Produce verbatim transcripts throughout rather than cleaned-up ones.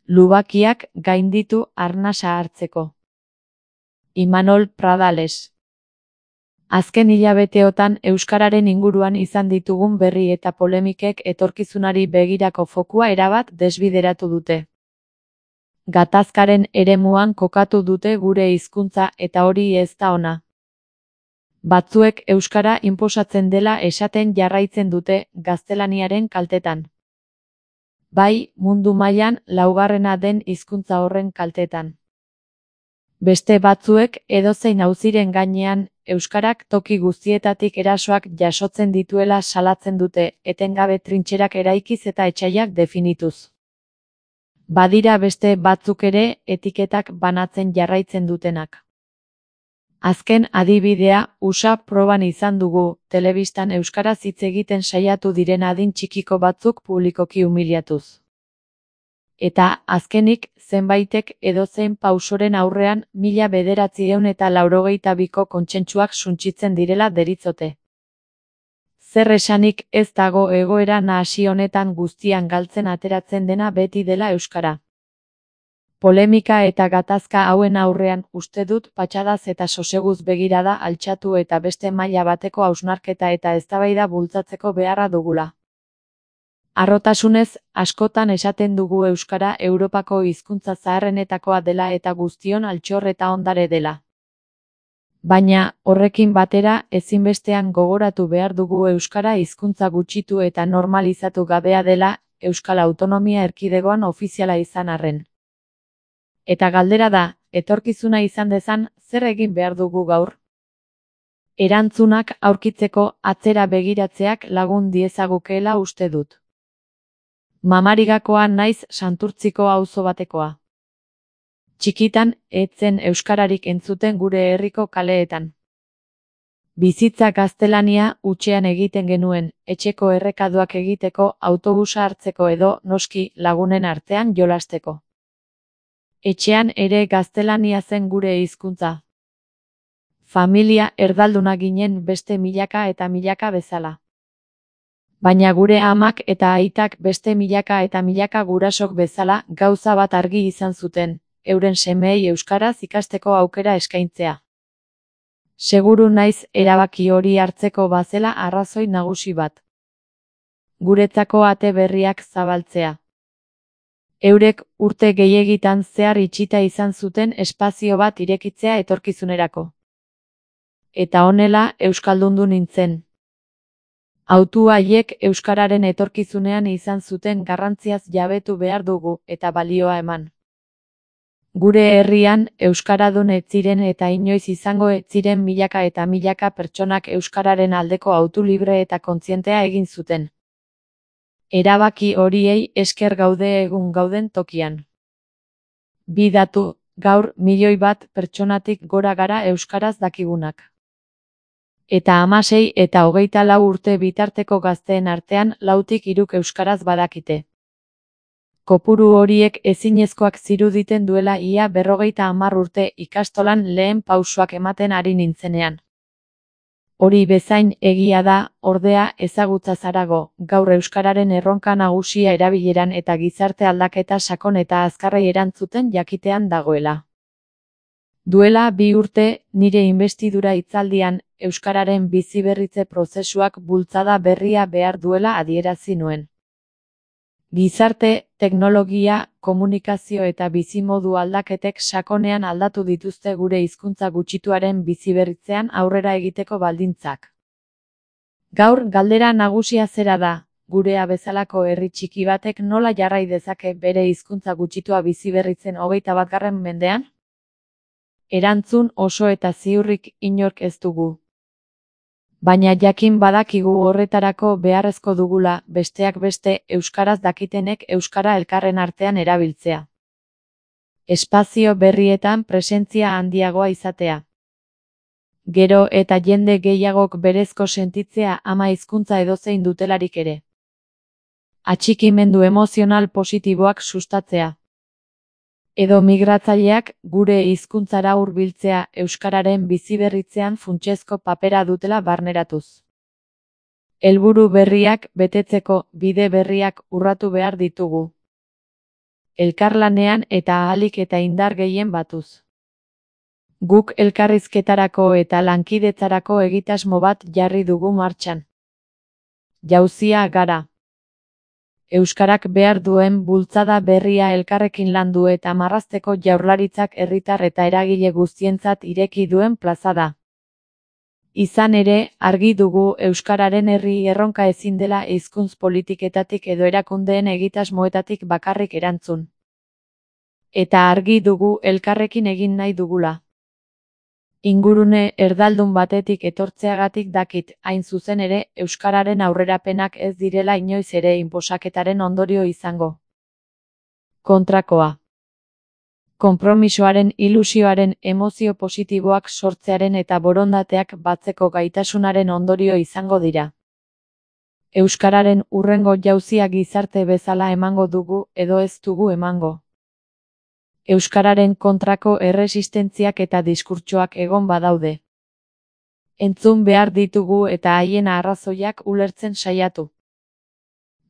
Lubakiak gainditu arnasa hartzeko. Imanol Pradales. Azken hilabeteotan euskararen inguruan izan ditugun berri eta polemikek etorkizunari begirako fokua erabat desbideratu dute. Gatazkaren eremuan kokatu dute gure hizkuntza eta hori ez da ona. Batzuek euskara inposatzen dela esaten jarraitzen dute gaztelaniaren kaltetan. Bai, mundu mailan laugarrena den hizkuntza horren kaltetan. Beste batzuek edozein auziren gainean euskarak toki guztietatik erasoak jasotzen dituela salatzen dute, etengabe trintxerak eraikiz eta etsaiak definituz. Badira beste batzuk ere etiketak banatzen jarraitzen dutenak. Azken adibidea U S A proban izan dugu, telebistan euskaraz hitz egiten saiatu diren adin txikiko batzuk publikoki umiliatuz. Eta azkenik zenbaitek edozein pausoren aurrean mila bederatziehun eta laurogeita biko kontsentsuak suntsitzen direla deritzote. Zer esanik ez dago egoera nahasi honetan guztian galtzen ateratzen dena beti dela euskara. Polemika eta gatazka hauen aurrean uste dut patxadaz eta soseguz begirada altxatu eta beste maila bateko hausnarketa eta eztabaida bultzatzeko beharra dugula. Harrotasunez, askotan esaten dugu euskara Europako hizkuntza zaharrenetakoa dela eta guztion altxor eta ondare dela. Baina, horrekin batera, ezinbestean gogoratu behar dugu euskara hizkuntza gutxitu eta normalizatu gabea dela, Euskal Autonomia Erkidegoan ofiziala izan arren. Eta galdera da, etorkizuna izan dezan, zer egin behar dugu gaur? Erantzunak aurkitzeko atzera begiratzeak lagun diezagukeela uste dut. Mamarigakoa naiz Santurtziko auzo batekoa. Txikitan, etzen euskararik entzuten gure herriko kaleetan. Bizitza gaztelania hutsean egiten genuen, etxeko errekaduak egiteko, autobusa hartzeko edo, noski, lagunen artean jolasteko. Etxean ere gaztelania zen gure hizkuntza. Familia erdalduna ginen beste milaka eta milaka bezala. Baina gure amak eta aitak beste milaka eta milaka gurasok bezala gauza bat argi izan zuten, euren semeei euskaraz ikasteko aukera eskaintzea. Seguru naiz erabaki hori hartzeko bazela arrazoi nagusi bat. Guretzako ate berriak zabaltzea. Eurek urte gehiegitan zehar itxita izan zuten espazio bat irekitzea etorkizunerako. Eta honela euskaldundu nintzen. Hautu haiek euskararen etorkizunean izan zuten garrantziaz jabetu behar dugu eta balioa eman. Gure herrian euskaradun ez ziren eta inoiz izango ez ziren milaka eta milaka pertsonak euskararen aldeko hautu libre eta kontzientea egin zuten. Erabaki horiei esker gaude egun gauden tokian. Bi datu, gaur milioi bat pertsonatik gora gara euskaraz dakigunak. Eta hamasei eta hogeita lau urte bitarteko gazteen artean lautik hiruk euskaraz badakite. Kopuru horiek ezinezkoak ziruditen duela ia berrogeita hamar urte ikastolan lehen pausoak ematen ari nintzenean. Hori bezain egia da, ordea ezagutza zarago, gaur euskararen erronka nagusia erabileran eta gizarte aldaketa sakon eta azkarrei erantzuten jakitean dagoela. Duela bi urte, nire inbestidura hitzaldian, euskararen biziberritze prozesuak bultzada berria behar duela adierazi nuen. Gizarte, teknologia, komunikazio eta bizimodu aldaketek sakonean aldatu dituzte gure hizkuntza gutxituaren biziberritzean aurrera egiteko baldintzak. Gaur galdera nagusia zera da, gurea bezalako herri txiki batek nola jarrai dezake bere hizkuntza gutxitua biziberritzen hogeita batgarren mendean? Erantzun oso eta ziurrik inork ez dugu. Baina jakin badakigu horretarako beharrezko dugula, besteak beste, euskaraz dakitenek euskara elkarren artean erabiltzea. Espazio berrietan presentzia handiagoa izatea. Gero eta jende gehiagok berezko sentitzea ama hizkuntza edozein dutelarik ere. Atxikimendu emozional positiboak sustatzea. Edo migratzaileak gure hizkuntzara hurbiltzea euskararen biziberritzean funtsezko papera dutela barneratuz. Helburu berriak betetzeko bide berriak urratu behar ditugu. elkarlanean eta ahalik eta indar gehien batuz. Guk elkarrizketarako eta lankidetzarako egitasmo bat jarri dugu martxan. Jauzia gara. Euskarak behar duen bultzada berria elkarrekin landu eta marrazteko Jaurlaritzak herritar eta eragile guztientzat ireki duen plaza da. Izan ere, argi dugu euskararen herri erronka ezin dela hizkuntz politiketatik edo erakundeen egitasmoetatik bakarrik erantzun. Eta argi dugu elkarrekin egin nahi dugula. Ingurune erdaldun batetik etortzeagatik dakit, hain zuzen ere, euskararen aurrerapenak ez direla inoiz ere inposaketaren ondorio izango. Kontrakoa. Konpromisoaren, ilusioaren, emozio positiboak sortzearen eta borondateak batzeko gaitasunaren ondorio izango dira. Euskararen hurrengo jauzia gizarte bezala emango dugu edo ez dugu emango. Euskararen kontrako erresistentziak eta diskurtsoak egon badaude. Entzun behar ditugu eta haien arrazoiak ulertzen saiatu.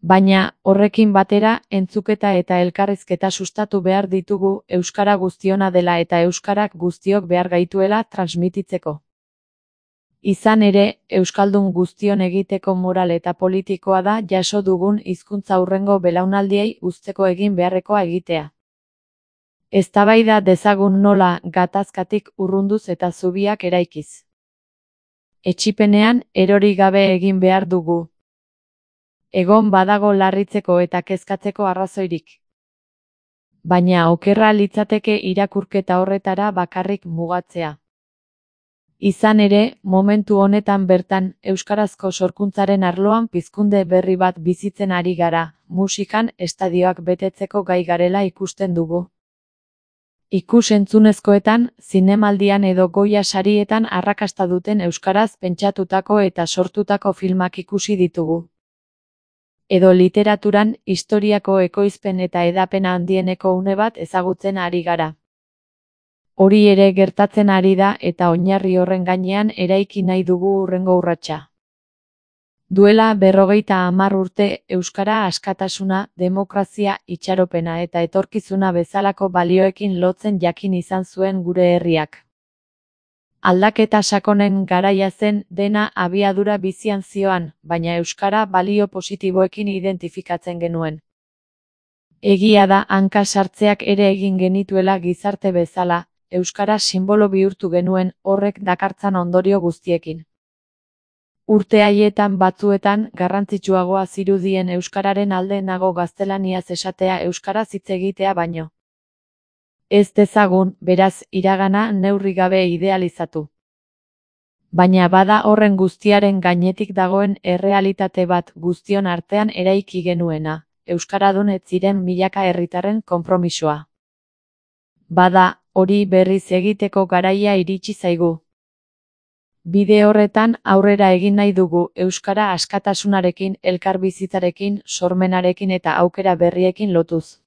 Baina, horrekin batera, entzuketa eta elkarrizketa sustatu behar ditugu euskara guztiona dela eta euskarak guztiok behar gaituela transmititzeko. Izan ere, euskaldun guztion egiteko moral eta politikoa da jaso dugun hizkuntza hurrengo belaunaldiei uzteko egin beharrekoa egitea. Eztabaida dezagun nola gatazkatik urrunduz eta zubiak eraikiz. Etsipenean erori gabe egin behar dugu. Egon badago larritzeko eta kezkatzeko arrazoirik. Baina okerra litzateke irakurketa horretara bakarrik mugatzea. Izan ere, momentu honetan bertan, euskarazko sorkuntzaren arloan pizkunde berri bat bizitzen ari gara, musikan estadioak betetzeko gai garela ikusten dugu. Ikus-entzunezkoetan, zinemaldian edo Goya sarietan arrakasta duten euskaraz pentsatutako eta sortutako filmak ikusi ditugu. Edo literaturan, historiako ekoizpen eta hedapena handieneko une bat ezagutzen ari gara. Hori ere gertatzen ari da eta oinarri horren gainean eraiki nahi dugu hurrengo urratsa. Duela berrogeita hamar urte euskara askatasuna, demokrazia, itxaropena eta etorkizuna bezalako balioekin lotzen jakin izan zuen gure herriak. Aldaketa sakonen garaia zen dena abiadura bizian zioan, baina euskara balio positiboekin identifikatzen genuen. Egia da hanka sartzeak ere egin genituela gizarte bezala, euskara sinbolo bihurtu genuen horrek dakartzan ondorio guztiekin. Urte haietan batzuetan garrantzitsuagoa zirudien euskararen alde nago gaztelaniaz esatea euskaraz hitz egitea baino. Ez dezagun, beraz, iragana neurri gabe idealizatu. Baina bada horren guztiaren gainetik dagoen errealitate bat guztion artean eraiki genuena, euskaradun ez ziren milaka herritarren konpromisoa. Bada, hori berriz egiteko garaia iritsi zaigu. Bide horretan aurrera egin nahi dugu euskara askatasunarekin, elkarbizitzarekin, sormenarekin eta aukera berriekin lotuz.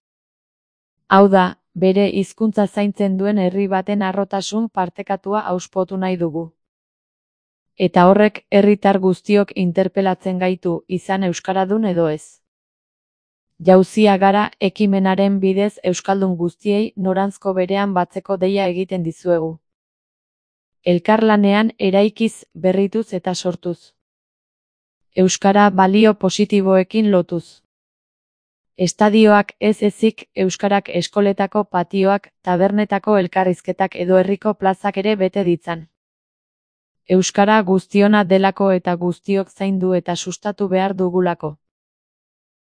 Hau da, bere hizkuntza zaintzen duen herri baten harrotasun partekatua auspotu nahi dugu. Eta horrek herritar guztiok interpelatzen gaitu, izan euskaradun edo ez. Jauzia gara ekimenaren bidez euskaldun guztiei noranzko berean batzeko deia egiten dizuegu. Elkarlanean eraikiz, berrituz eta sortuz. Euskara balio positiboekin lotuz. Estadioak ez ezik euskarak eskoletako patioak, tabernetako elkarrizketak edo herriko plazak ere bete ditzan. Euskara guztiona delako eta guztiok zaindu eta sustatu behar dugulako.